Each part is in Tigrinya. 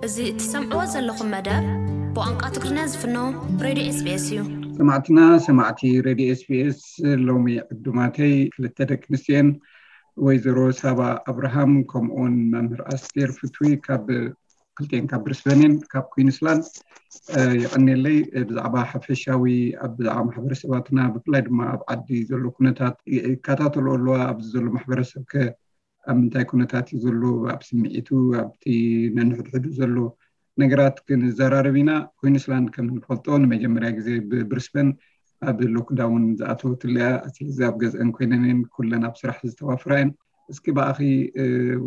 እዚ እትሰምዕዎ ዘለኹም መደብ ብቋንቋ ትግርኛ ዝፍኖ ሬድዮ ኤስቢኤስ እዩ። ሰማዕትና ሰማዕቲ ሬድዮ ኤስቢኤስ፣ ሎሚ ዕዱማተይ ክልተ ደቂ ኣንስትዮን ወይዘሮ ሳባ ኣብርሃም ከምኡውን መምህር ኣስቴር ፍትዊ ካብ ክልቴን ካብ ብሪስበንን ካብ ኩዊንስላንድ። የቐንየለይ። ብዛዕባ ሓፈሻዊ ኣብ ብዛዕባ ማሕበረሰባትና ብፍላይ ድማ ኣብ ዓዲ ዘሎ ኩነታት ይከታተሉ ኣለዋ። ኣብዚ ዘሎ ማሕበረሰብ ከ ኣብ ምንታይ ኩነታት እዩ ዘሎ፣ ኣብ ስምዒቱ ኣብቲ ነንሕድሕዱ ዘሎ ነገራት ክንዘራረብ ኢና። ኩዊንስላንድ ከም ንፈልጦ ንመጀመርያ ግዜ ብብሪስበን ኣብ ሎክዳውን ዝኣተወትለያ። ስለዚ ኣብ ገዝአን ኮይነንን ኩለን ኣብ ስራሕ ዝተዋፍራ እየን። እስኪ ብኣኺ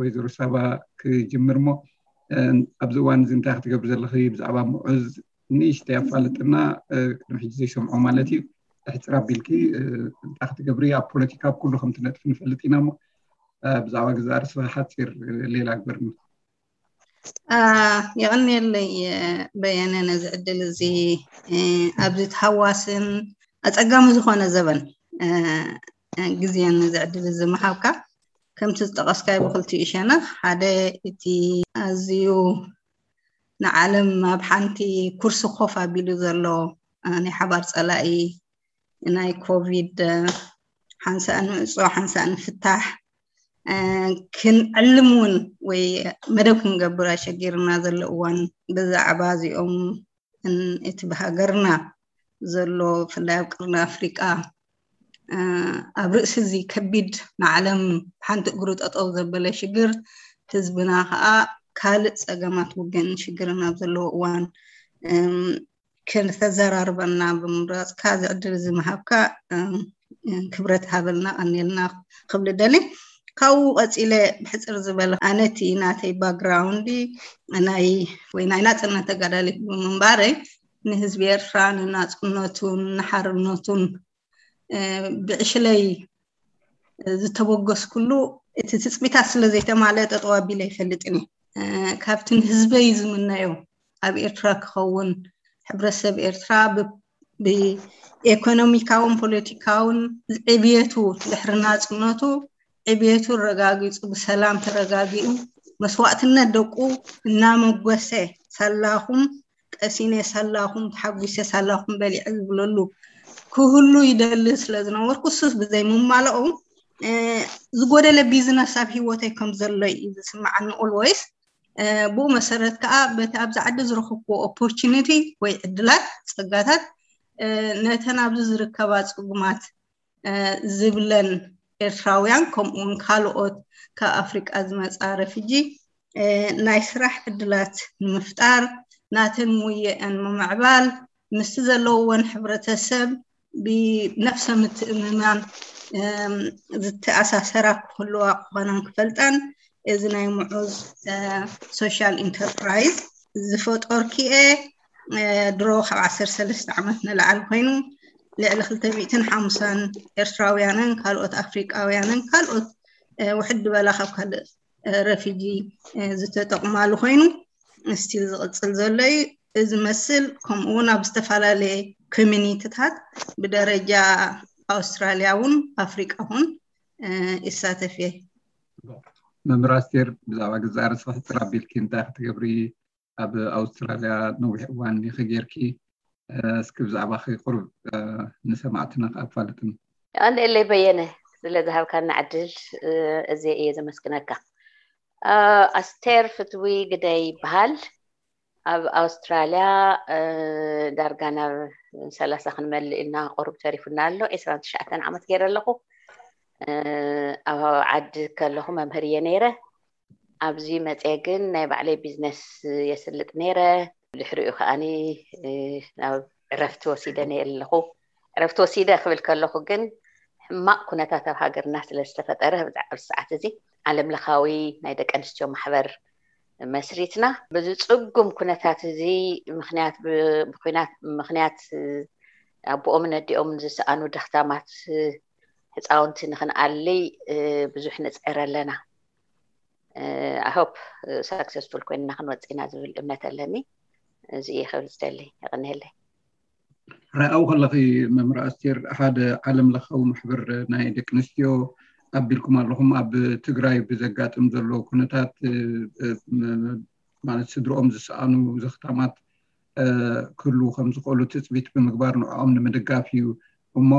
ወይዘሮ ሳባ ክጅምር እሞ ኣብዚ እዋን እዚ እንታይ ክትገብሪ ዘለኺ ብዛዕባ ምዑዝ ንእሽተይ ኣፋልጥና። ቅድሚ ሕጂ ዘይሰምዖ ማለት እዩ። ሕፅር ኣቢልኪ እንታይ ክትገብሪ ኣብ ፖለቲካ ኣብ ኩሉ ከም ትነጥፊ ንፈልጥ ኢና እሞ ብዛዕባ ግዛእ ርእስኻ ሓፂር ሌላ ግበርኒ። የቐንየለይ በየነ ነዚ ዕድል እዚ ኣብዚ ተሃዋስን ኣፀጋሚ ዝኾነ ዘበን ግዜን ነዚ ዕድል እዚ ምሃብካ። ከምቲ ዝጠቐስካዮ ብክልቲኡ ሸነኽ ሓደ እቲ ኣዝዩ ንዓለም ኣብ ሓንቲ ኩርሲ ኮፍ ኣቢሉ ዘሎ ናይ ሓባር ፀላኢ ናይ ኮቪድ ሓንሳእ ንዕፆ ሓንሳእ ንፍታሕ ክንዕልም እውን ወይ መደብ ክንገብር ኣሸጊርና ዘሎ እዋን ብዛዕባ እዚኦም እቲ ብሃገርና ዘሎ ብፍላይ ኣብ ቅርኒ ኣፍሪቃ ኣብ ርእሲ እዚ ከቢድ ንዓለም ሓንቲ እግሩ ጠጠው ዘበለ ሽግር ህዝብና ከዓ ካልእ ፀገማት ውግእን ሽግርን ኣብ ዘለዎ እዋን ከተዘራርበና ብምምራፅካ እዚ ዕድል እዚ ምሃብካ ክብረት ሃበልና ቀኒልና ክብል ደሊ። ካብኡ ቀፂለ ብሕፅር ዝበለ ኣነቲ ናተይ ባክግራውንዲ ናይ ወይ ናይ ናፅነት ተጋዳሊት ብምንባረይ ንህዝቢ ኤርትራ ንናፅነቱን ንሓርነቱን ብዕሽለይ ዝተበገስኩሉ እቲ ትፅቢታት ስለ ዘይተማልአ ጠጠው ኣቢለ ኣይፈልጥን እየ። ካብቲ ንህዝበይ ዝምነዮ ኣብ ኤርትራ ክኸውን ሕብረተሰብ ኤርትራ ብኤኮኖሚካውን ፖለቲካውን ዕብየቱ ድሕሪ ናፅነቱ ዕብየቱ ረጋጊፁ ብሰላም ተረጋጊኡ መስዋእትነት ደቁ እናመጎሰ ሳላኹም ቀሲነ ሳላኹም ተሓጒሰ ሳላኹም በሊዐ ዝብለሉ ክህሉ ይደሊ ስለ ዝነበርኩ እሱስ ብዘይምማልኡ ዝጎደለ ቢዝነስ ኣብ ሂወተይ ከም ዘሎ እዩ ዝስምዓኒ። ኦልወይስ ብኡ መሰረት ከዓ በቲ ኣብዚ ዓዲ ዝረኸብኩዎ ኦፖርቹኒቲ ወይ ዕድላት ፀጋታት ነተን ኣብዚ ዝርከባ ፅጉማት ዝብለን ኤርትራውያን ከምኡውን ካልኦት ካብ ኣፍሪቃ ዝመፃ ረፊጂ ናይ ስራሕ ዕድላት ንምፍጣር ናተን ሙየአን ምምዕባል ምስቲ ዘለውወን ሕብረተሰብ ብነፍሰ ምትእምማን ዝተኣሳሰራ ክህልዋ ክኾናን ክፈልጣን እዚ ናይ ምዑዝ ሶሻል ኢንተርፕራይዝ ዝፈጠርክኤ ድሮ ካብ ዓሰርተ ሰለስተ ዓመት ንላዓል ኮይኑ ልዕሊ ክልተ ሚእትን ሓምሳን ኤርትራውያንን ካልኦት ኣፍሪቃውያንን ካልኦት ውሕድ በላ ካብ ካልእ ረፊጂ ዝተጠቕማሉ ኮይኑ ስቲል ዝቕፅል ዘሎ እዩ። እዚ መስል ከምኡ እውን ኣብ ዝተፈላለየ ኮሚኒቲታት ብደረጃ ኣውስትራልያ እውን ኣፍሪቃ እውን ይሳተፍ እየ። መምህር ኣስቴር ብዛዕባ ግዛእ ርእስኺ ሕፅር ኣቢልኪ እንታይ ክትገብሪ ኣብ ኣውስትራልያ ነዊሕ እዋን ኢኺ ጌርኪ? እስኪ ብዛዕባኺ ቁሩብ ንሰማዕትና ኣፋልጥኒ። የቐንየለይ በየነ ስለ ዝሃብካና ዕድል እዝየ እየ ዘመስግነካ። ኣስቴር ፍትዊ ግደይ ይበሃል። ኣብ ኣውስትራልያ ዳርጋ ናብ ሰላሳ ክንመልእ ኢልና ቁሩብ ተሪፉና ኣሎ። ዒስራን ትሽዓተን ዓመት ገይረ ኣለኹ። ኣብ ዓዲ ከለኹ መምህር እየ ነይረ። ኣብዚ መፅየ ግን ናይ ባዕለይ ቢዝነስ የስልጥ ነይረ። ድሕሪኡ ከዓኒ ናብ ዕረፍቲ ወሲደ ነይረ ኣለኹ። ዕረፍቲ ወሲደ ክብል ከለኹ ግን ሕማቕ ኩነታት ኣብ ሃገርና ስለ ዝተፈጠረ ኣብዚ ሰዓት እዚ ዓለም ለኻዊ ናይ ደቂ ኣንስትዮ ማሕበር መስሪትና። በዚ ፅጉም ኩነታት እዚ ምክንያት ብኩናት ምክንያት ኣቦኦምን ኣዲኦምን ዝሰኣኑ ደኽታማት ህፃውንቲ ንክንኣሊ ብዙሕ ንፅዕር ኣለና። ኣሆፕ ሳክሰስፉል ኮይንና ክንወፅእ ኢና ዝብል እምነት ኣለኒ። እዚ እየ ክብል ዝደሊ። የቐንየለይ። ርኣው ከለኺ መምህር ኣስቴር ሓደ ዓለም ለኻዊ ማሕበር ናይ ደቂ ኣንስትዮ ኣቢልኩም ኣለኹም። ኣብ ትግራይ ብዘጋጥም ዘሎ ኩነታት ማለት ስድርኦም ዝሰኣኑ ዘኽታማት ክህልዉ ከም ዝኽእሉ ትፅቢት ብምግባር ንዕኦም ንምድጋፍ እዩ። እሞ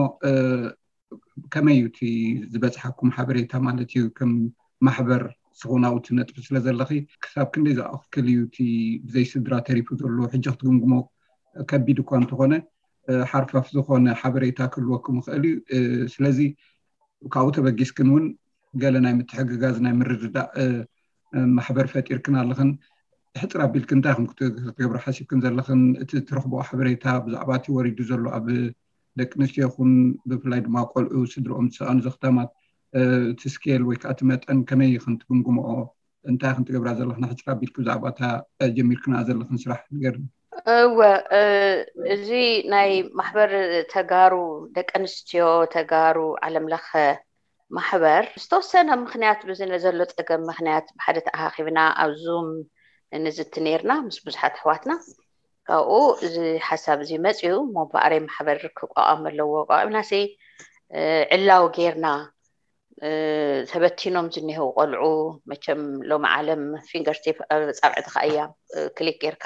ከመይ እዩ እቲ ዝበፅሓኩም ሓበሬታ ማለት እዩ? ከም ማሕበር ስኹናውቲ ነጥቢ ስለ ዘለኺ ክሳብ ክንደይ ዝኣክል እዩ እቲ ብዘይ ስድራ ተሪፉ ዘሎ? ሕጂ ክትግምግሞ ከቢድ እኳ እንተኾነ ሓርፋፍ ዝኾነ ሓበሬታ ክህልወኩም ይኽእል እዩ። ስለዚ ካብኡ ተበጊስክን እውን ገለ ናይ ምትሕግጋዝ ናይ ምርድዳእ ማሕበር ፈጢርክን ኣለኽን። ሕፅር ኣቢልክን እንታይ ከም ክትገብሩ ሓሲብክን ዘለኽን? እቲ ትረኽቦ ሓበሬታ ብዛዕባ እቲ ወሪዱ ዘሎ ኣብ ደቂ ኣንስትዮ ይኹን ብፍላይ ድማ ቆልዑ ስድርኦም ዝሰኣኑ ዘኽታማት እቲ ስኬል ወይ ከዓ እቲ መጠን ከመይ ኢኽን ትግምግምኦ? እንታይ ኢኽን ትገብራ ዘለኽን? ሕፅር ኣቢልኪ ብዛዕባ እታ ጀሚርክንኣ ዘለኽን ስራሕ ንገርኒ። እወ፣ እዚ ናይ ማሕበር ተጋሩ፣ ደቂ ኣንስትዮ ተጋሩ ዓለም ለኸ ማሕበር ዝተወሰነ ምኽንያት፣ ብዚ ዘሎ ፀገም ምኽንያት ብሓደ ተኣኻኺብና ኣብ ዙም ንዝቲ ነይርና ምስ ብዙሓት ኣሕዋትና። ካብኡ እዚ ሓሳብ እዚ መፅዩ እሞ በኣረይ ማሕበር ክቋቋም ኣለዎ። ቋቋምና ሲ ዕላው ጌርና ተበቲኖም ዝኒሄው ቆልዑ፣ መቸም ሎሚ ዓለም ፊንገር ቲፕ ፃብዕትኻ እያ ክሊክ ጌርካ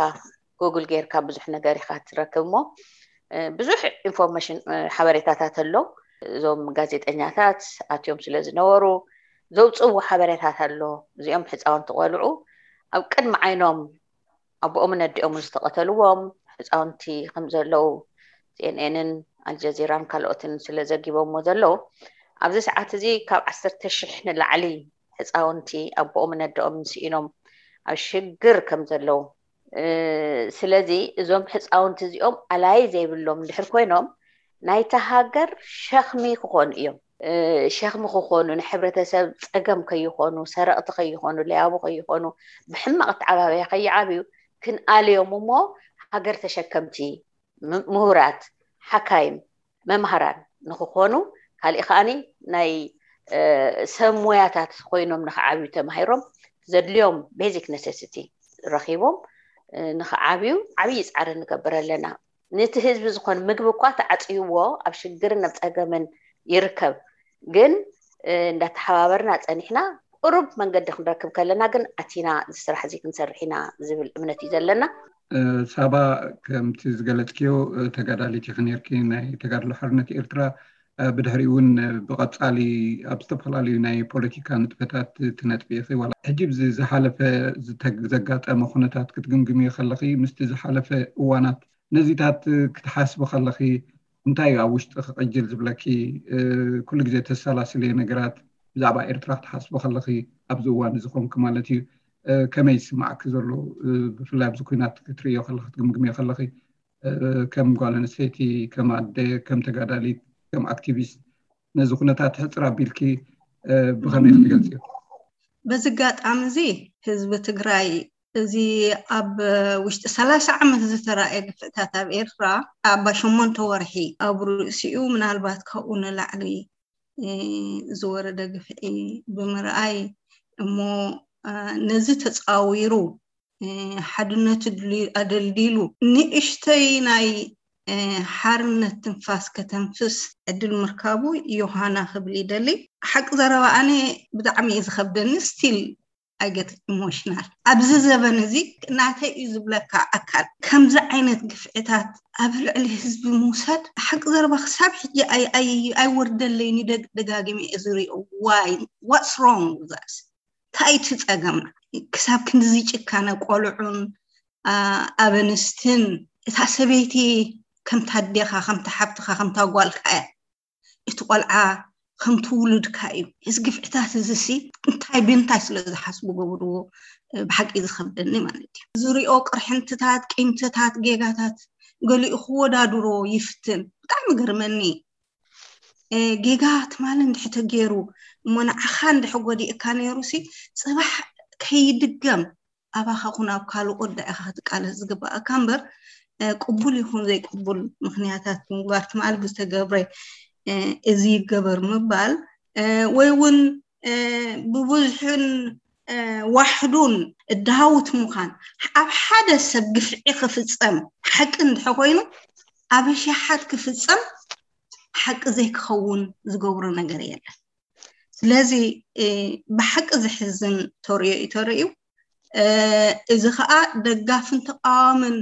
ጉግል ጌርካ ብዙሕ ነገር ኢኻ ትረክብ እሞ ብዙሕ ኢንፎርሜሽን ሓበሬታታት ኣሎ። እዞም ጋዜጠኛታት ኣትዮም ስለ ዝነበሩ ዘውፅእዎ ሓበሬታት ኣሎ። እዚኦም ሕፃውንቲ ቆልዑ ኣብ ቅድሚ ዓይኖም ኣቦኦምን ኣዲኦምን ዝተቐተልዎም ሕፃውንቲ ከም ዘለዉ ሲኤንኤንን ኣልጀዚራን ካልኦትን ስለ ዘጊቦሞ ዘለዉ ኣብዚ ሰዓት እዚ ካብ ዓሰርተ ሽሕ ንላዕሊ ሕፃውንቲ ኣቦኦምን ኣዲኦምን ስኢኖም ኣብ ሽግር ከም ዘለዉ ስለዚ እዞም ሕፃውንቲ እዚኦም ኣላይ ዘይብሎም እንድሕር ኮይኖም ናይታ ሃገር ሸኽሚ ክኾኑ እዮም። ሸኽሚ ክኾኑ፣ ንሕብረተሰብ ፀገም ከይኾኑ፣ ሰረቕቲ ከይኾኑ፣ ለያቡ ከይኾኑ፣ ብሕማቕ ኣተዓባብያ ከይዓብዩ ክንኣልዮም እሞ ሃገር ተሸከምቲ ምሁራት፣ ሓካይም፣ መምሃራን ንክኾኑ ካሊእ ከዓኒ ናይ ሰብ ሞያታት ኮይኖም ንክዓብዩ ተማሂሮም ዘድልዮም ቤዚክ ነሰሲቲ ረኪቦም ንክዓብዩ ዓብዪ ፃዕሪ ንገብር ኣለና። ነቲ ህዝቢ ዝኾን ምግቢ እኳ ተዓፅይዎ ኣብ ሽግርን ኣብ ፀገምን ይርከብ። ግን እንዳተሓባበርና ፀኒሕና ቁሩብ መንገዲ ክንረክብ ከለና ግን ኣቲና እዚ ስራሕ እዚ ክንሰርሕ ኢና ዝብል እምነት እዩ ዘለና። ሳባ ከምቲ ዝገለፅክዮ ተጋዳሊት ኢኺ ነርኪ ናይ ተጋድሎ ሓርነት ኤርትራ ብድሕሪ እውን ብቐፃሊ ኣብ ዝተፈላለዩ ናይ ፖለቲካ ንጥፈታት ትነጥፊ ኢኺ ዋላ ሕጂ ብዚ ዝሓለፈ ዘጋጠመ ኩነታት ክትግምግምዮ ከለኺ ምስቲ ዝሓለፈ እዋናት ነዚታት ክትሓስቢ ከለኺ እንታይ እዩ ኣብ ውሽጢ ክቕጅል ዝብለኪ? ኩሉ ግዜ ተሰላስልዮ ነገራት ብዛዕባ ኤርትራ ክትሓስቢ ከለኺ ኣብዚ እዋን እዚ ኮንኪ ማለት እዩ ከመይ ይስማዓኪ ዘሎ? ብፍላይ ኣብዚ ኩናት ክትርእዮ ከለኺ ክትግምግምዮ ከለኺ ከም ጓል ኣንስተይቲ፣ ከም ኣደ፣ ከም ተጋዳሊት፣ ከም ኣክቲቪስት ነዚ ኩነታት ሕፅር ኣቢልኪ ብኸመይ ክትገልፅዮ? በዚ ኣጋጣሚ እዚ ህዝቢ ትግራይ እዚ ኣብ ውሽጢ ሰላሳ ዓመት ዝተራእየ ግፍዕታት ኣብ ኤርትራ ኣባ ሸሞንተ ወርሒ ኣብ ርእሲኡ ምናልባት ካብኡ ንላዕሊ ዝወረደ ግፍዒ ብምርኣይ እሞ ነዚ ተፃዊሩ ሓድነቱ ኣደልዲሉ ንእሽተይ ናይ ሓርነት ትንፋስ ከተንፍስ ዕድል ምርካቡ ዮሃና ክብል ይደሊ። ሓቂ ዘረባ ኣነ ብጣዕሚ እዩ ዝኸብደኒ still I get emotional ኣብዚ ዘበን እዚ ናተይ እዩ ዝብለካ ኣካል ከምዚ ዓይነት ግፍዕታት ኣብ ልዕሊ ህዝቢ ምውሳድ ሓቂ ዘረባ ክሳብ ሕጂ ኣይወርደለይን ደጋጊመ እየ ዝሪኦ why what's wrong with us እንታይ እቲ ፀገምና ክሳብ ክንድዚ ጭካነ ቆልዑን ኣበንስትን እታ ሰበይቲ ከምታ ኣዴኻ ከምታ ሓብትኻ ከምታ ጓልካ እያ እቲ ቆልዓ ከምቲ ውሉድካ እዩ እዚ ግፍዕታት እዚ ሲ እንታይ ብምንታይ ስለ ዝሓስቡ ገብርዎ ብሓቂ ዝኸብደኒ ማለት እዩ ዝሪኦ ቅርሕንትታት ቂምትታት ጌጋታት ገሊኡ ክወዳድሮ ይፍትን ብጣዕሚ ገርመኒ ጌጋ ትማሊ እንድሕር ተገይሩ እሞ ንዓኻ እንድሕር ጎዲእካ ነይሩ ሲ ፅባሕ ከይድገም ኣባኻ ኩን ኣብ ካልእ ወዳ ኢኻ ክትቃለስ ዝግባኣካ እምበር ቅቡል ይኹን ዘይቅቡል ምኽንያታት ብምግባር ትማሊ ብዝተገብረ እዚ ይገበር ምባል ወይ እውን ብብዝሕን ዋሕዱን እዳሃውት ምዃን ኣብ ሓደ ሰብ ግፍዒ ክፍፀም ሓቂ እንድሕር ኮይኑ ኣብ ኣሽሓት ክፍፀም ሓቂ ዘይክኸውን ዝገብሮ ነገር የለን ስለዚ ብሓቂ ዘሕዝን ተርእዮ እዩ ተርእዩ እዚ ከዓ ደጋፍን ተቃዋምን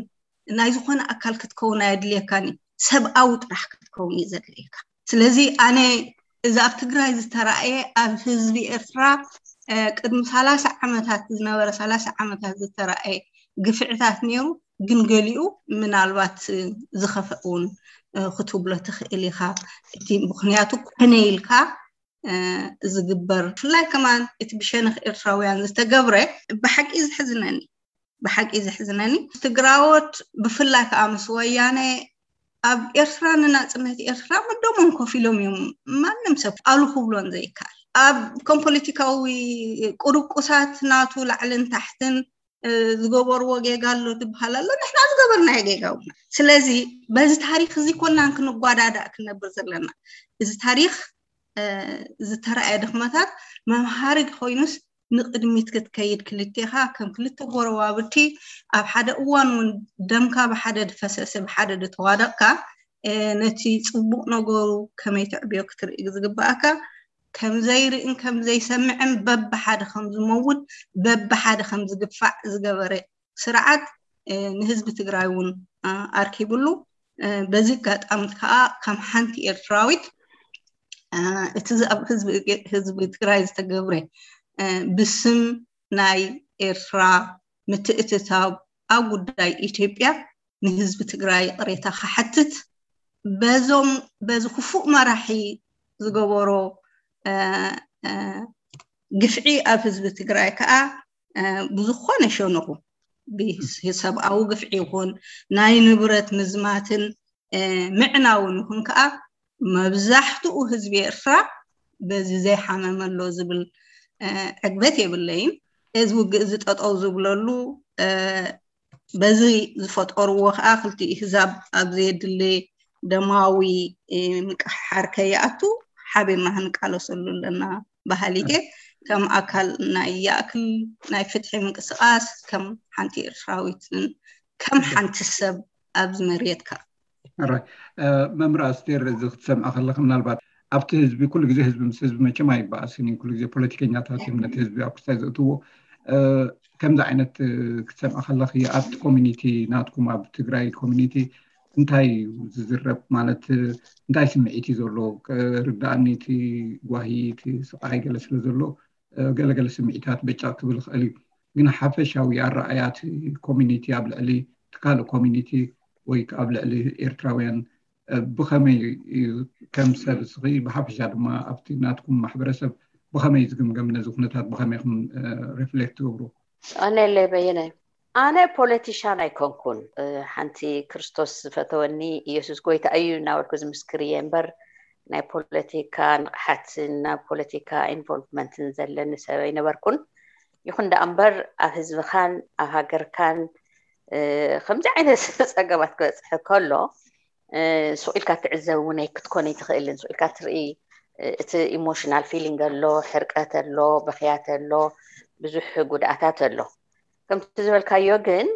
ናይ ዝኾነ ኣካል ክትከውን ኣየድልየካን እዩ። ሰብኣዊ ጥራሕ ክትከውን እዩ ዘድልየካ። ስለዚ ኣነ እዚ ኣብ ትግራይ ዝተራእየ ኣብ ህዝቢ ኤርትራ ቅድሚ ሰላሳ ዓመታት ዝነበረ ሰላሳ ዓመታት ዝተራእየ ግፍዕታት ነይሩ። ግን ገሊኡ ምናልባት ዝኸፍእ እውን ክትብሎ ትኽእል ኢኻ። እቲ ምኽንያቱ ኮነ ኢልካ ዝግበር ብፍላይ ከማን እቲ ብሸነኽ ኤርትራውያን ዝተገብረ ብሓቂ ዘሕዝነኒ ብሓቂ ዘሕዝነኒ ትግራዎት ብፍላይ ከዓ ምስ ወያነ ኣብ ኤርትራ ንናፅነት ኤርትራ መደሞም ኮፍ ኢሎም እዮም። ማንም ሰብ ኣሉ ክብሎን ዘይከኣል ኣብ ከም ፖለቲካዊ ቁርቁሳት ናቱ ላዕልን ታሕትን ዝገበርዎ ጌጋ ኣሎ ትበሃል ኣሎ። ንሕና ዝገበርናዮ ጌጋ እውን ስለዚ በዚ ታሪክ እዚ ኮናን ክንጓዳዳእ ክንነብር ዘለና። እዚ ታሪክ ዝተረኣየ ድኽመታት መምሃሪ ኮይኑስ ንቅድሚት ክትከይድ ክልቴኻ ከም ክልተ ጎረባብቲ ኣብ ሓደ እዋን እውን ደምካ ብሓደ ድፈሰሰ ብሓደ ድተዋደቕካ ነቲ ፅቡቅ ነገሩ ከመይ ትዕብዮ ክትርኢ ዝግበኣካ ከምዘይርእን ከምዘይሰምዕን በብሓደ ከም ዝመውት በብሓደ ከም ዝግፋዕ ዝገበረ ስርዓት ንህዝቢ ትግራይ እውን ኣርኪብሉ። በዚ ኣጋጣሚ ከዓ ከም ሓንቲ ኤርትራዊት እቲ ኣብ ህዝቢ ትግራይ ዝተገብረ ብስም ናይ ኤርትራ ምትእትታው ኣብ ጉዳይ ኢትዮጵያ ንህዝቢ ትግራይ ይቕሬታ ክሓትት በዞም በዚ ክፉእ መራሒ ዝገበሮ ግፍዒ ኣብ ህዝቢ ትግራይ ከዓ ብዝኾነ ሸነኹ ብሰብኣዊ ግፍዒ ይኹን ናይ ንብረት ምዝማትን ምዕናውን ይኹን ከዓ መብዛሕትኡ ህዝቢ ኤርትራ በዚ ዘይሓመመ ኣሎ ዝብል ዕግበት የብለይን። እዚ ውግእ እዚ ጠጠው ዝብለሉ በዚ ዝፈጠርዎ ከዓ ክልቲኡ ህዛብ ኣብ ዘየድሊ ደማዊ ምቅሕሓር ከይኣቱ ሓቢርና ክንቃለሰሉ ኣለና በሃሊት እየ። ከም ኣካል ናይ ያእክል ናይ ፍትሒ ምንቅስቃስ ከም ሓንቲ ኤርትራዊትን ከም ሓንቲ ሰብ ኣብዚ መሬት ከዓ መምህር ኣስቴር እዚ ክትሰምዐ ከለካ ምናልባት ኣብቲ ህዝቢ ኩሉ ግዜ ህዝቢ ምስ ህዝቢ መቸም ኣይበኣስን እዩ። ኩሉ ግዜ ፖለቲከኛታት እዮም ነቲ ህዝቢ ኣብ ክስታይ ዘእትዎ። ከምዚ ዓይነት ክትሰምዐ ከለኺ ኣብቲ ኮሚኒቲ ናትኩም ኣብ ትግራይ ኮሚኒቲ እንታይ እዩ ዝዝረብ ማለት እንታይ ስምዒት እዩ ዘሎ? ርዳእኒ እቲ ጓሂ እቲ ስቃይ ገለ ስለ ዘሎ ገለገለ ስምዒታት በጫ ክብል ይኽእል እዩ። ግን ሓፈሻዊ ኣረኣያ እቲ ኮሚኒቲ ኣብ ልዕሊ እቲ ካልእ ኮሚኒቲ ወይ ኣብ ልዕሊ ኤርትራውያን ብኸመይ እዩ ከም ሰብ እስኺ ብሓፈሻ ድማ ኣብቲ ናትኩም ማሕበረሰብ ብኸመይ ዝግምገም ነዚ ኩነታት ብኸመይ ኢኹም ሪፍሌክት ትገብሩ? ኣነለይ በየነ ኣነ ፖለቲሻን ኣይኮንኩን። ሓንቲ ክርስቶስ ዝፈተወኒ ኢየሱስ ጎይታ እዩ እናበልኩ ዝምስክር እየ እምበር ናይ ፖለቲካ ንቕሓትን ናብ ፖለቲካ ኢንቮልቭመንትን ዘለኒ ሰብ ኣይነበርኩን። ይኹን ደኣ እምበር ኣብ ህዝብኻን ኣብ ሃገርካን ከምዚ ዓይነት ፀገማት ክበፅሕ ከሎ ሱቕ ኢልካ ትዕዘብ እውን ኣይክትኮን ኣይትኽእልን። ሱቕ ኢልካ ትርኢ እቲ ኢሞሽናል ፊሊንግ ኣሎ፣ ሕርቀት ኣሎ፣ በኽያት ኣሎ፣ ብዙሕ ጉድኣታት ኣሎ። ከምቲ ዝበልካዮ ግን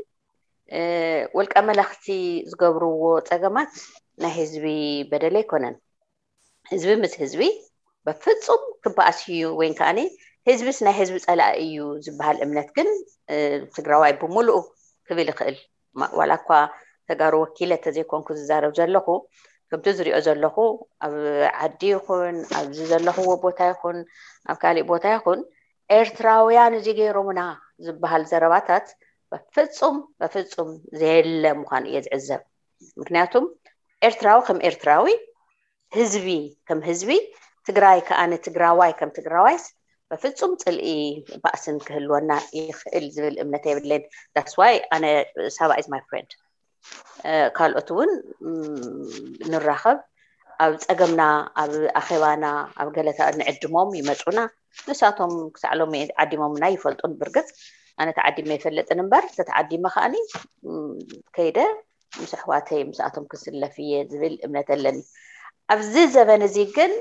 ውልቀ መለኽቲ ዝገብርዎ ፀገማት ናይ ህዝቢ በደል ኣይኮነን። ህዝቢ ምስ ህዝቢ በፍፁም ክበኣስ እዩ ወይ ከዓኒ ህዝብስ ናይ ህዝቢ ፀላኢ እዩ ዝበሃል እምነት ግን ትግራዋይ ብምሉኡ ክብል ይኽእል። ዋላ እኳ ተጋሩ ወኪለ ተዘይኮንኩ ዝዛረብ ዘለኹ ከምቲ ዝሪኦ ዘለኹ ኣብ ዓዲ ይኹን ኣብዚ ዘለኽዎ ቦታ ይኹን ኣብ ካሊእ ቦታ ይኹን ኤርትራውያን እዚ ገይሮምና ዝበሃል ዘረባታት በፍፁም በፍፁም ዘየለ ምዃኑ እየ ዝዕዘብ። ምክንያቱም ኤርትራዊ ከም ኤርትራዊ ህዝቢ ከም ህዝቢ ትግራይ ከዓ ንትግራዋይ ከም ትግራዋይስ በፍፁም ፅልኢ ባእስን ክህልወና ይኽእል ዝብል እምነት የብለይን። That's why ኣነ ሳባ is my friend። ካልኦት እውን ንራኸብ ኣብ ፀገምና ኣብ ኣኼባና ኣብ ገለታ ንዕድሞም ይመፁና ንሳቶም ክሳዕ ሎሚ ዓዲሞምና ይፈልጡን ብርግፅ ኣነ ተዓዲመ ይፈልጥን እምበር ተተዓዲመ ከዓኒ ከይደ ምስ ኣሕዋተይ ምስኣቶም ክስለፍ እየ ዝብል እምነት ኣለኒ። ኣብዚ ዘበን እዚ ግን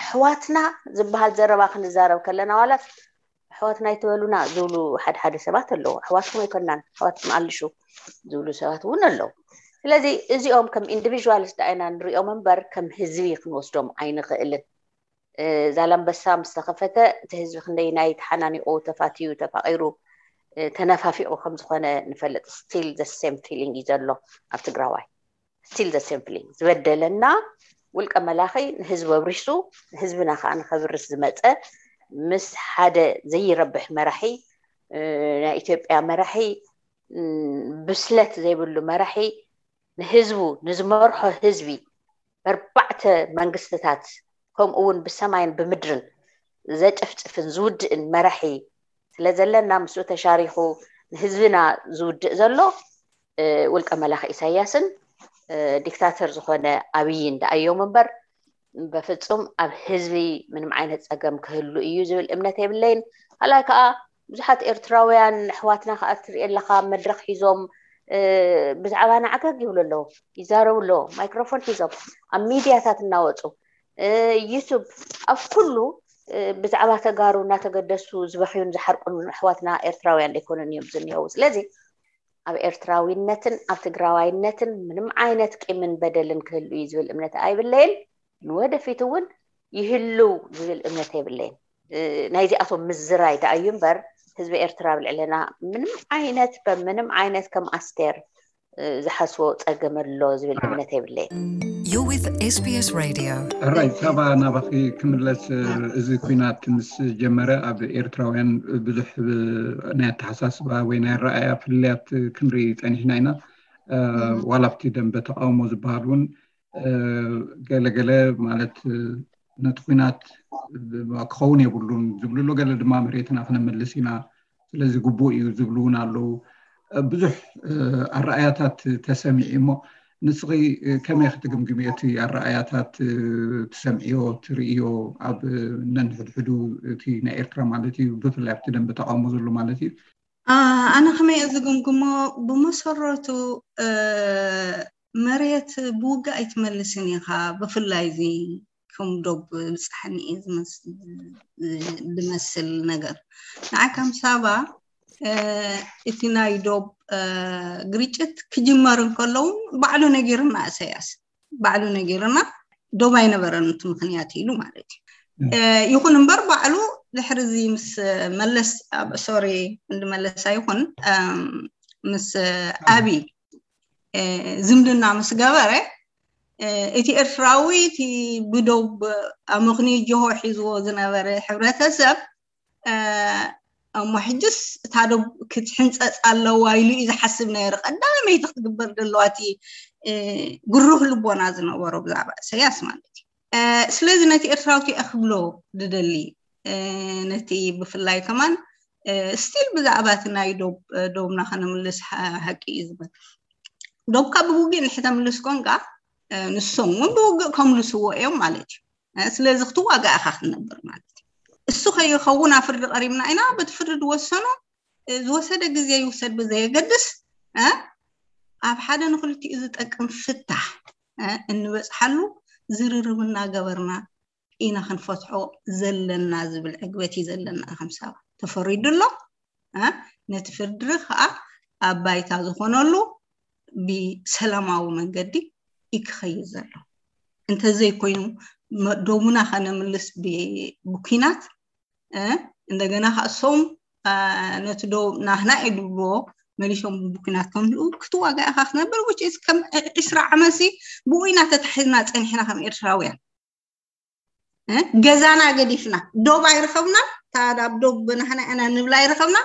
ኣሕዋትና ዝበሃል ዘረባ ክንዛረብ ከለና ዋላ ኣሕዋትና ኣይትበሉና ዝብሉ ሓደ ሓደ ሰባት ኣለዉ። ኣሕዋትኩም ኣይኮናን ኣሕዋትኩም ኣልሹ ዝብሉ ሰባት እውን ኣለዉ። ስለዚ እዚኦም ከም ኢንዲቪዥዋልስ ዳኢና ንሪኦም እምበር ከም ህዝቢ ክንወስዶም ኣይንኽእልን። ዛላምበሳ ምስ ተኸፈተ እቲ ህዝቢ ክንደይናይ ተሓናኒቑ ተፋትዩ ተፋቒሩ ተነፋፊቑ ከም ዝኾነ ንፈልጥ። Still the same feeling እዩ ዘሎ ኣብ ትግራዋይ። Still the same feeling። ዝበደለና ውልቀ መላኺ ንህዝቢ ኣብሪሱ፣ ንህዝብና ከዓ ንኸብርስ ዝመፀ፣ ምስ ሓደ ዘይረብሕ መራሒ፣ ናይ ኢትዮጵያ መራሒ፣ ብስለት ዘይብሉ መራሒ፣ ንህዝቡ፣ ንዝመርሖ ህዝቢ በርባዕተ መንግስትታት፣ ከምኡ እውን ብሰማይን ብምድርን ዘጨፍጭፍን ዝውድእን መራሒ ስለ ዘለና፣ ምስኡ ተሻሪኹ ንህዝብና ዝውድእ ዘሎ ውልቀ መላኺ ኢሳያስን ዲክታተር ዝኾነ ኣብይን ደኣዮም እምበር፣ በፍጹም ኣብ ህዝቢ ምንም ዓይነት ጸገም ክህሉ እዩ ዝብል እምነት የብለይን። ካልኣይ ከዓ ብዙሓት ኤርትራውያን ኣሕዋትና ከዓ ትርኢ ኣለኻ፣ መድረኽ ሒዞም ብዛዕባና ዓገግ ይብሉ ኣለዉ፣ ይዛረቡ ኣለዉ፣ ማይክሮፎን ሒዞም ኣብ ሚድያታት እናወፁ፣ ዩቱብ፣ ኣብ ኩሉ ብዛዕባ ተጋሩ እናተገደሱ ዝበኽዩን ዝሓርቁን ኣሕዋትና ኤርትራውያን ኣይኮኑን እዮም ዝኒሀው። ስለዚ ኣብ ኤርትራዊነትን ኣብ ትግራዋይነትን ምንም ዓይነት ቂምን በደልን ክህሉ እዩ ዝብል እምነት ኣይብለይን። ንወደፊት እውን ይህልው ዝብል እምነት የብለይን። ናይዚኣቶም ምዝራይ ደኣ እዩ እምበር፣ ህዝቢ ኤርትራ ኣብ ልዕለና ምንም ዓይነት፣ በምንም ዓይነት ከም ኣስቴር ዝሓስቦ ጸገም ኣሎ ዝብል እምነት የብለይን። You're with SBS Radio. ሕራይ፣ ሳባ፣ ናባኺ ክምለስ። እዚ ኩናት ምስ ጀመረ ኣብ ኤርትራውያን ብዙሕ ናይ ኣተሓሳስባ ወይ ናይ ኣረኣያ ፍልልያት ክንርኢ ጸኒሕና ኢና። ዋላ ኣብቲ ደንበ ተቃውሞ ዝበሃል እውን ገለገለ ማለት ነቲ ኩናት ክኸውን የብሉን ዝብሉ ኣሎ፣ ገለ ድማ መሬትና ክነመልስ ኢና፣ ስለዚ ግቡእ እዩ ዝብሉ እውን ኣለዉ። ብዙሕ ኣረኣያታት ተሰሚዑ እሞ ንስኺ ከመይ ክትግምግሚ እቲ ኣረኣያታት ትሰምዕዮ ትርእዮ ኣብ ነንሕድሕዱ እቲ ናይ ኤርትራ ማለት እዩ ብፍላይ ኣብቲ ደንበ ተቃውሞ ዘሎ ማለት እዩ? ኣነ ከመይ እየ ዝግምግሞ፣ ብመሰረቱ መሬት ብውግእ ኣይትመልስን ኢኻ፣ ብፍላይ እዚ ከም ዶብ ብጻሕኒ እዩ ዝመስል ነገር። ንዓይ ከም ሳባ እቲ ናይ ዶብ ግርጭት ክጅመር እንከለውን ባዕሉ ነጊርና፣ እሰያስ ባዕሉ ነጊርና፣ ዶብ ኣይነበረን እቲ ምኽንያት ኢሉ ማለት እዩ። ይኹን እምበር ባዕሉ ድሕሪ እዚ ምስ መለስ፣ ሶሪ፣ ክንዲ መለስ ኣይኹን፣ ምስ ኣብይ ዝምድና ምስ ገበረ፣ እቲ ኤርትራዊ፣ እቲ ብዶብ ኣመኽንዩ ጅሆ ሒዝዎ ዝነበረ ሕብረተሰብ፣ እሞ ሕጅስ እታ ዶብ ክትሕንፀፅ ኣለዋ ኢሉ እዩ ዝሓስብ ነይሩ። ቀዳመይቲ ክትግበር ዘለዋ እቲ ግሩህ ልቦና ዝነበሮ ብዛዕባ እሰያስ ማለት እዩ። ስለዚ ነቲ ኤርትራዊ ክብሎ ዝደሊ፣ ነቲ ብፍላይ ከማን ስቲል ብዛዕባ እቲ ናይ ዶብ፣ ዶብና ከነምልስ ሓቂ እዩ ዝበል። ዶብካ ብውግእ እንድሕር ተምልስ ኮንካ፣ ንሶም እውን ብውግእ ከምልስዎ እዮም ማለት እዩ። ስለዚ ክትዋጋእ ኢኻ ክትነብር ማለት እዩ። እሱ ከይኸውን ኣብ ፍርዲ ቀሪብና ኢና። በቲ ፍርዲ ዝወሰኖ፣ ዝወሰደ ግዜ ይውሰድ ብዘየገድስ፣ ኣብ ሓደ ንክልቲኡ ዝጠቅም ፍታሕ እንበፅሓሉ ዝርርብ እናገበርና ኢና ክንፈትሖ ዘለና ዝብል ዕግበት እዩ ዘለና። ከም ሳባ ተፈሪዱ ኣሎ። ነቲ ፍርዲ ከዓ ኣብ ባይታ ዝኾነሉ ብሰላማዊ መንገዲ እዩ ክኸይድ ዘሎ። እንተዘይኮይኑ፣ ዶብና ከነምልስ ብኩናት፣ እንደገና ከዓ እሶም ነቲ ዶብ ናህና እዩ ዝብልዎ መሊሶም ብኩናት ከምልኡ ክትዋጋ ኢኻ ክትነብር። ውጭ ከም ዒስራ ዓመትሲ ብኡ ኢና ተታሒዝና ፀኒሕና ከም ኤርትራውያን። ገዛና ገዲፍና፣ ዶብ ኣይረኸብና፣ ታዳ ብ ዶብ ናህና ኢና ንብላ ኣይረኸብና፣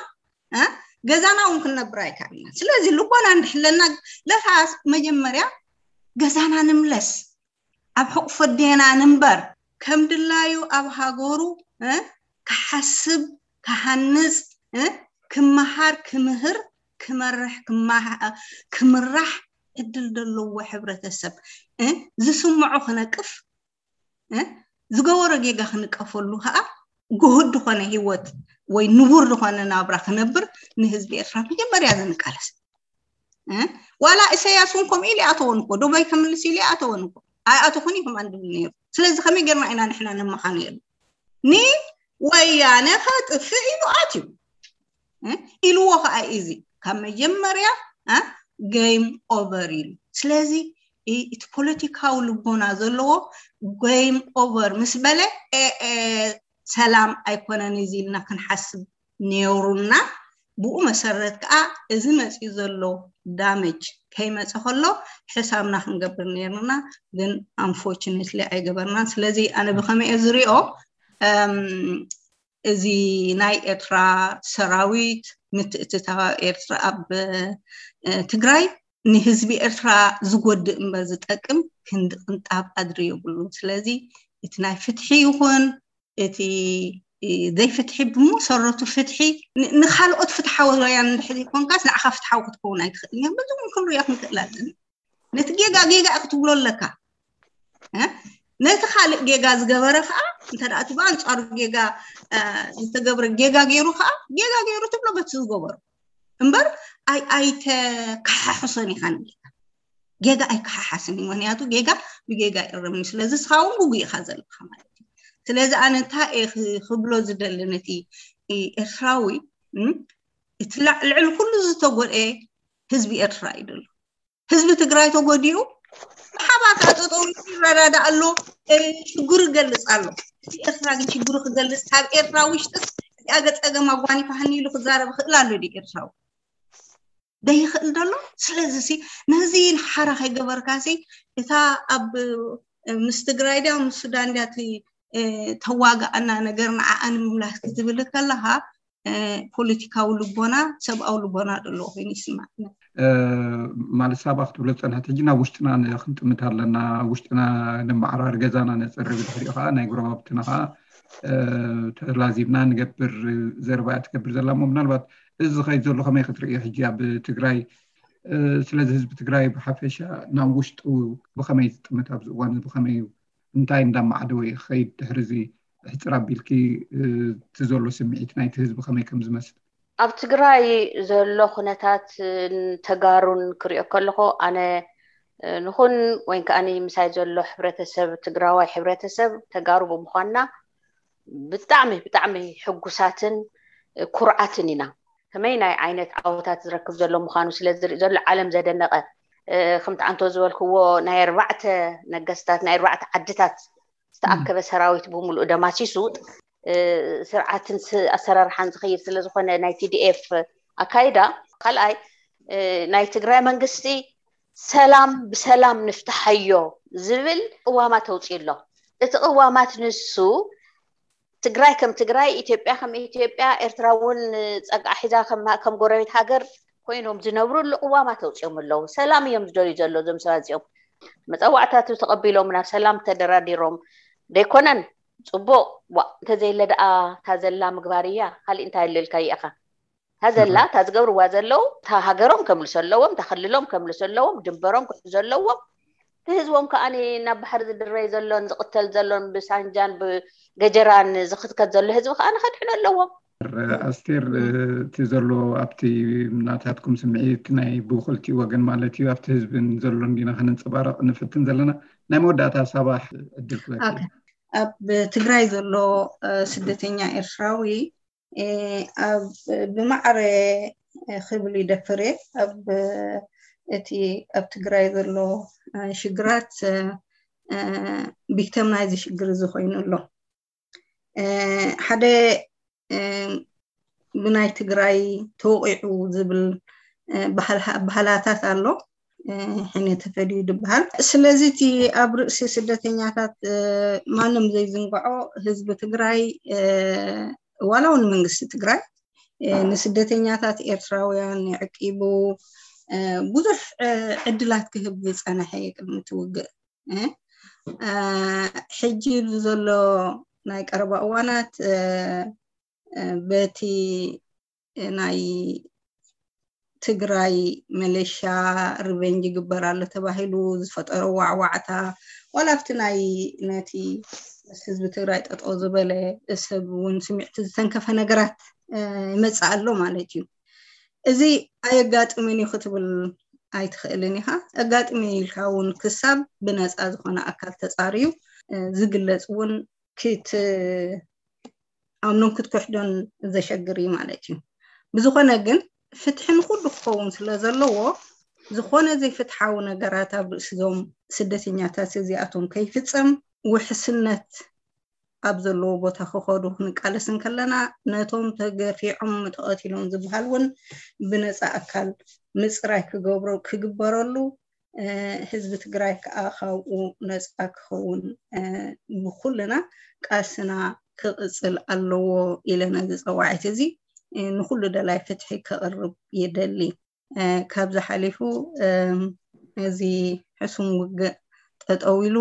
ገዛና እውን ክንነብር ኣይካልና። ስለዚ ልቦና እንድሕለና ለታስ መጀመርያ ገዛና ንምለስ፣ ኣብ ሕቑፎ ኣዴና ንንበር፣ ከም ድላዩ ኣብ ሃገሩ ክሓስብ፣ ክሃንፅ፣ ክመሃር፣ ክምህር፣ ክመርሕ፣ ክምራሕ ዕድል ዘለዎ ሕብረተሰብ ዝስምዖ ክነቅፍ፣ ዝገበሮ ጌጋ ክንቀፈሉ ከዓ ግሁድ ዝኾነ ህይወት ወይ ንቡር ዝኾነ ናብራ ክነብር ንህዝቢ ኤርትራ መጀመርያ ዝንቃለስ። ዋላ ኢሳያስ እውን ከምኡ ኢሉ ይኣተወን እኮ፣ ዶብ ኣይከምልስ ኢሉ ይኣተወን እኮ፣ ኣይኣተኹን እዩ ከማን ድብል ነይሩ። ስለዚ ከመይ ጌርና ኢና ንሕና ነመኻንየሉ? ንወያነ ከጥፍእ ኢሉ ኣትዩ ኢልዎ ከዓ እዚ ካብ መጀመርያ game over ኢሉ። ስለዚ እቲ ፖለቲካዊ ልቦና ዘለዎ game over ምስ በለ ሰላም ኣይኮነን እዚ ኢልና ክንሓስብ ነይሩና። ብኡ መሰረት ከዓ እዚ መፅኡ ዘሎ ዳመጅ ከይመፀ ከሎ ሕሳብና ክንገብር ነርና፣ ግን ኣንፎርችነትሊ ኣይገበርናን። ስለዚ ኣነ ብከመይ እየ ዝሪኦ፣ እዚ ናይ ኤርትራ ሰራዊት ምትእትታው ኤርትራ ኣብ ትግራይ ንህዝቢ ኤርትራ ዝጎድእ እምበር ዝጠቅም ክንዲ ቅንጣብ ኣድሪ የብሉን። ስለዚ እቲ ናይ ፍትሒ ይኹን እቲ ዘይፍትሒ ብመሰረቱ ፍትሒ ንኻልኦት ፍትሓዊ ወያን እንድሕር ዘይኮንካስ ንዓኻ ፍትሓዊ ክትከውን ኣይትኽእል። በዚ እውን ክንሪኦ ክንክእል ኣለና። ነቲ ጌጋ ጌጋ ክትብሎ ኣለካ። ነቲ ካልእ ጌጋ ዝገበረ ከዓ እንተ እቲ ብኣንፃሩ ጌጋ ዝተገብረ ጌጋ ገይሩ ከዓ ጌጋ ገይሩ ትብሎ በቲ ዝገበሩ እምበር ኣይተከሓሕሶን ኢኻ ንጌጋ። ጌጋ ኣይከሓሓስን እዩ። ምክንያቱ ጌጋ ብጌጋ ይእረምን እዩ። ስለዚ እስኻ እውን ጉጉ ኢኻ ዘለካ ማለት እዩ። ስለዚ ኣነ እንታይ እየ ክብሎ ዝደሊ ነቲ ኤርትራዊ፣ እቲ ልዕሊ ኩሉ ዝተጎድኤ ህዝቢ ኤርትራ እዩ ዘሎ። ህዝቢ ትግራይ ተጎዲኡ ብሓባር ከዓ ጠጠው ይረዳዳ ኣሎ። ሽግሩ ይገልፅ ኣሎ። እቲ ኤርትራ ግን ሽግሩ ክገልፅ ካብ ኤርትራ ውሽጥስ እዚኣ ገፀገም ኣጓኒፋ ሃኒ ኢሉ ክዛረብ ይኽእል ኣሎ ዲ ኤርትራዊ? ደይኽእል ደሎ። ስለዚ ሲ ነዚ ሓራ ከይገበርካ ሲ እታ ኣብ ምስ ትግራይ ድያ ምስ ሱዳን ድያ እቲ ተዋጋኣና ነገር ንዓኣ ንምምላስ ክትብል ከለኻ ፖለቲካዊ ልቦና ሰብኣዊ ልቦና ዘለዎ ኮይኑ ይስማዕና። ማለት ሳባ ክትብሎ ዝፀንሐት ሕጂ ናብ ውሽጥና ክንጥምት ኣለና። ውሽጥና ነመዓራሪ ገዛና ነፅሪ ብድሕሪኡ ከዓ ናይ ጎረባብትና ከዓ ተላዚብና ንገብር ዘረባ እያ ትገብር ዘላ እሞ ምናልባት እዚ ዝኸይድ ዘሎ ከመይ ክትርእዮ ሕጂ ኣብ ትግራይ? ስለዚ ህዝቢ ትግራይ ብሓፈሻ ናብ ውሽጡ ብኸመይ ዝጥምት ኣብዚ እዋን እዚ ብኸመይ እዩ እንታይ እንዳማዕደወ እዩ ክኸይድ ድሕሪ እዚ ሕፅር ኣቢልኪ እቲ ዘሎ ስምዒት ናይቲ ህዝቢ ከመይ ከም ዝመስል? ኣብ ትግራይ ዘሎ ኩነታት ተጋሩን ክሪኦ ከለኹ ኣነ ንኹን ወይ ከዓ ምሳይ ዘሎ ሕብረተሰብ ትግራዋይ ሕብረተሰብ ተጋሩ ብምዃንና ብጣዕሚ ብጣዕሚ ሕጉሳትን ኩርዓትን ኢና። ከመይ ናይ ዓይነት ዓወታት ዝረክብ ዘሎ ምዃኑ ስለ ዝርኢ ዘሎ ዓለም ዘደነቀ ከምቲ ዓንቶ ዝበልክዎ ናይ ኣርባዕተ ነገስታት ናይ ኣርባዕተ ዓድታት ዝተኣከበ ሰራዊት ብምሉእ ደማሲሱ ስርዓትን ኣሰራርሓን ዝኸይድ ስለዝኾነ ናይ ቲዲኤፍ ኣካይዳ ካልኣይ ናይ ትግራይ መንግስቲ ሰላም ብሰላም ንፍትሓዮ ዝብል ቅዋማት ኣውፅኡ ኣሎ። እቲ ቅዋማት ንሱ ትግራይ ከም ትግራይ ኢትዮጵያ ከም ኢትዮጵያ ኤርትራ እውን ፀግዓ ሒዛ ከም ጎረቤት ሃገር ኮይኖም ዝነብሩ ቅዋማት ኣውፅኦም ኣለዉ። ሰላም እዮም ዝደልዩ ዘሎ እዞም ሰባት እዚኦም። መፀዋዕታቱ ተቐቢሎም ናብ ሰላም ተደራዲሮም ደይኮነን ፅቡቕ ዋ እንተዘየለ ደኣ እታ ዘላ ምግባር እያ። ካሊእ እንታይ ኣለልካ ይእኻ እታ ዘላ እታ ዝገብርዋ ዘለዉ እታ ሃገሮም ከምልሱ ኣለዎም፣ እታ ክልሎም ከምልሱ ኣለዎም፣ ድንበሮም ክሕዙ ኣለዎም። እቲ ህዝቦም ከዓ ናብ ባሕሪ ዝድረይ ዘሎን ዝቕተል ዘሎን ብሳንጃን ብገጀራን ዝኽትከት ዘሎ ህዝቢ ከዓ ንኸድሕኑ ኣለዎም። ኣስቴር እቲ ዘሎ ኣብቲ ናታትኩም ስምዒት ናይ ብክልቲኡ ወገን ማለት እዩ ኣብቲ ህዝብን ዘሎን ዲና ከነንፀባረቕ ንፍትን ዘለና። ናይ መወዳእታ ሳባ ዕድል ክበኪ። ኣብ ትግራይ ዘሎ ስደተኛ ኤርትራዊ ኣብ ብማዕረ ክብል ይደፍር እየ ኣብ እቲ ኣብ ትግራይ ዘሎ ሽግራት ቢክተም ናይዚ ሽግር እዚ ኮይኑ ኣሎ። ሓደ ብናይ ትግራይ ተወቂዑ ዝብል ባህላታት ኣሎ። ሕነ ተፈድዩ ዝበሃል። ስለዚ እቲ ኣብ ርእሲ ስደተኛታት ማንም ዘይዝንግዖ ህዝቢ ትግራይ ዋላ እውን መንግስቲ ትግራይ ንስደተኛታት ኤርትራውያን የዕቂቡ ብዙሕ ዕድላት ክህብ ዝፀነሐ እዩ ቅድሚ እቲ ውግእ። ሕጂ ዘሎ ናይ ቀረባ እዋናት በቲ ናይ ትግራይ መለሻ ሪቨንጅ ይግበር ኣሎ ተባሂሉ ዝፈጠሮ ዋዕዋዕታ ዋላ ኣብቲ ናይ ነቲ ምስ ህዝቢ ትግራይ ጠጠው ዝበለ ሰብ እውን ስሚዕቲ ዝተንከፈ ነገራት ይመፅእ ኣሎ ማለት እዩ። እዚ ኣየጋጥምን እዩ ክትብል ኣይትኽእልን ኢኻ። ኣጋጥሚ ኢልካ እውን ክሳብ ብነፃ ዝኾነ ኣካል ተፃርዩ ዝግለፅ እውን ክት ኣምኖን ክትክሕዶን ዘሸግር እዩ ማለት እዩ። ብዝኾነ ግን ፍትሒ ንኩሉ ክኸውን ስለ ዘለዎ ዝኾነ ዘይፍትሓዊ ነገራት ኣብ ርእሲ እዞም ስደተኛታት እዚኣቶም ከይፍፀም ውሕስነት ኣብ ዘለዎ ቦታ ክኸዱ ክንቃለስ እንከለና፣ ነቶም ተገፊዖም ተቐቲሎም ዝበሃል እውን ብነፃ ኣካል ምፅራይ ክገብሮ ክግበረሉ፣ ህዝቢ ትግራይ ከዓ ካብኡ ነፃ ክኸውን ብኩልና ቃልስና ክቕፅል ኣለዎ ኢለ ነዚ ፀዋዒት እዚ ንኩሉ ደላይ ፍትሒ ከቕርብ ይደሊ። ካብዚ ሓሊፉ እዚ ሕሱም ውግእ ጠጠው ኢሉ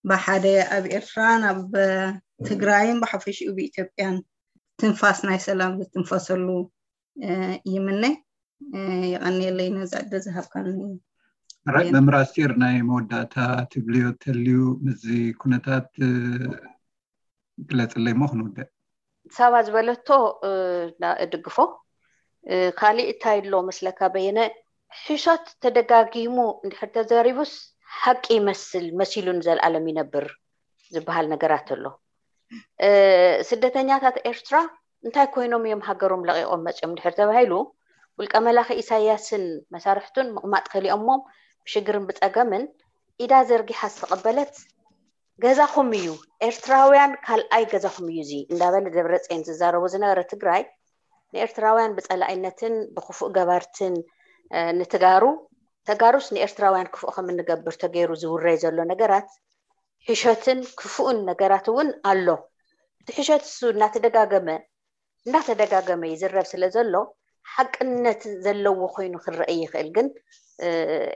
ብሓደ ኣብ ኤርትራን ኣብ ትግራይን ብሓፈሽኡ ብኢትዮጵያን ትንፋስ ናይ ሰላም ዝትንፈሰሉ ይምነ። የቐንየለይ ነዛ ዕድል ዝሃብካኒ። ራይ መምህር ኣስቴር፣ ናይ መወዳእታ ትብልዮ ተልዩ ምስዚ ኩነታት ግለፅለይ እሞ ክንውድእ። ሳባ ዝበለቶ እድግፎ። ካሊእ እንታይ ኣሎ መስለካ በየነ? ሕሾት ተደጋጊሙ እንድሕር ተዘሪቡስ ሓቂ ይመስል፣ መሲሉ ንዘለኣለም ይነብር ዝበሃል ነገራት ኣሎ። ስደተኛታት ኤርትራ እንታይ ኮይኖም እዮም ሃገሮም ለቒቖም መፂኦም እንድሕር ተባሂሉ፣ ውልቀ መላኺ ኢሳያስን መሳርሕቱን ምቕማጥ ከሊኦሞም ብሽግርን ብፀገምን ኢዳ ዘርጊሓ ዝተቐበለት ገዛኹም እዩ፣ ኤርትራውያን ካልኣይ ገዛኹም እዩ እዚ እንዳበለ ደብረፅዮን ዝዛረቦ ዝነበረ ትግራይ፣ ንኤርትራውያን ብፀላኢነትን ብክፉእ ገባርትን ንትጋሩ፣ ተጋሩስ ንኤርትራውያን ክፉእ ከም እንገብር ተገይሩ ዝውረይ ዘሎ ነገራት ሕሸትን ክፉእን ነገራት እውን ኣሎ። እቲ ሕሸት እሱ እናተደጋገመ እናተደጋገመ ይዝረብ ስለ ዘሎ ሓቅነት ዘለዎ ኮይኑ ክረአ ይኽእል። ግን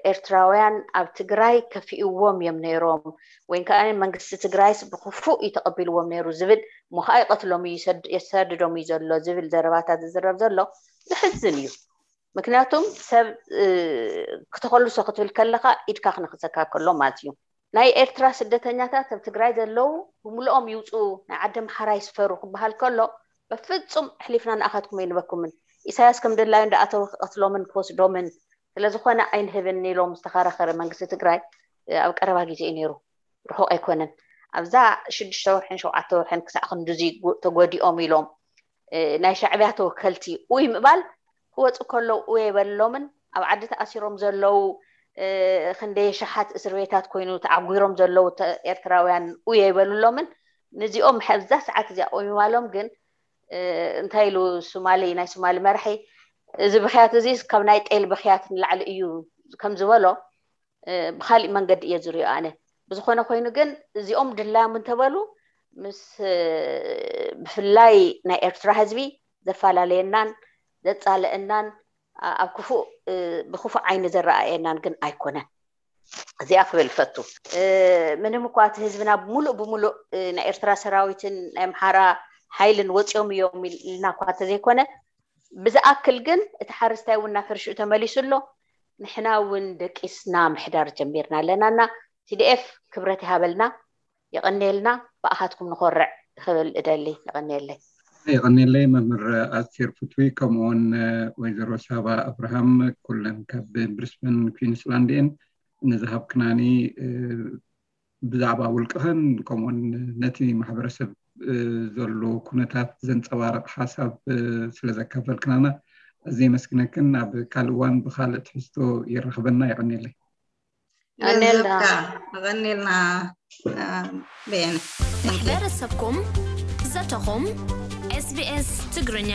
ኤርትራውያን ኣብ ትግራይ ከፊእዎም እዮም ነይሮም ወይ ከዓ መንግስቲ ትግራይስ ብክፉእ እዩ ተቐቢልዎም ነይሩ ዝብል፣ እሞ ከዓ ይቐትሎም እዩ፣ የሳድዶም እዩ ዘሎ ዝብል ዘረባታት ዝዝረብ ዘሎ ዘሕዝን እዩ። ምክንያቱም ሰብ ክተኸልሶ ክትብል ከለካ ኢድካ ክነክሰካ ከሎ ማለት እዩ። ናይ ኤርትራ ስደተኛታት ኣብ ትግራይ ዘለዉ ብምልኦም ይውፅኡ፣ ናይ ዓዲ ኣምሓራ ይስፈሩ ክበሃል ከሎ በፍፁም ኣሕሊፍና ንኣኻትኩም ኣይንበኩምን። ኢሳያስ ከም ድላዩ እንዳኣተወ ክቐትሎምን ክወስዶምን ስለዝኾነ ኣይንህብን ኢሎም ዝተኸራኸረ መንግስቲ ትግራይ ኣብ ቀረባ ግዜ እዩ ነይሩ፣ ርሑቕ ኣይኮነን። ኣብዛ ሽዱሽተ ወርሕን ሸውዓተ ወርሕን ክሳዕ ክንድዚ ተጎዲኦም ኢሎም ናይ ሻዕብያ ተወከልቲ ኡይ ምባል ክወፁ ከለዉ ኡይ ኣይበልሎምን። ኣብ ዓዲ ተኣሲሮም ዘለዉ ክንደይ ሸሓት እስር ቤታት ኮይኑ ተዓጒሮም ዘለዉ ኤርትራውያን ኡይ ኣይበልሎምን። ንዚኦም ሕዛ ሰዓት እዚኣ ኡይ ምባሎም ግን እንታይ ኢሉ ሱማሊ ናይ ሱማሊ መራሒ፣ እዚ ብክያት እዚ ካብ ናይ ጤል ብክያት ንላዕሊ እዩ ከም ዝበሎ ብካሊእ መንገዲ እየ ዝሪኦ ኣነ። ብዝኾነ ኮይኑ ግን እዚኦም ድላዮም እንተበሉ ምስ ብፍላይ ናይ ኤርትራ ህዝቢ ዘፈላለየናን ዘፃለአናን ኣብ ክፉእ ብክፉእ ዓይኒ ዘረኣየናን ግን ኣይኮነን። እዚኣ ክብል ፈቱ። ምንም እኳ እቲ ህዝብና ሙሉእ ብሙሉእ ናይ ኤርትራ ሰራዊትን ናይ ኣምሓራ ሓይልን ወፂኦም እዮም ኢልና እኳ እንተዘይኮነ ብዝኣክል ግን እቲ ሓረስታይ እውን ናብ ሕርሽኡ ተመሊሱ ኣሎ። ንሕና እውን ደቂስና ምሕዳር ጀሚርና ኣለና እና ቲዲኤፍ ክብረት ይሃበልና። የቐንየልና። ብኣኻትኩም ንኾርዕ ክብል እደሊ። የቐንየለይ። የቐንየለይ መምህር ኣስቴር ፍትዊ፣ ከምኡውን ወይዘሮ ሳባ ኣብርሃም፣ ኩለን ካብ ብሪስበን ኩዊንስላንድ እየን። ንዝሃብክናኒ ብዛዕባ ውልቅኽን ከምኡውን ነቲ ማሕበረሰብ ዘሎ ኩነታት ዘንፀባርቕ ሓሳብ ስለ ዘካፈልክናና ኣዝየ የመስግነክን። ኣብ ካልእ እዋን ብካልእ ትሕዝቶ የራኽበና። የቐንየለይ። የቐንየልና። ኣቐንየልና። በየነ። ማሕበረሰብኩም ዘተኹም ኤስቢኤስ ትግርኛ።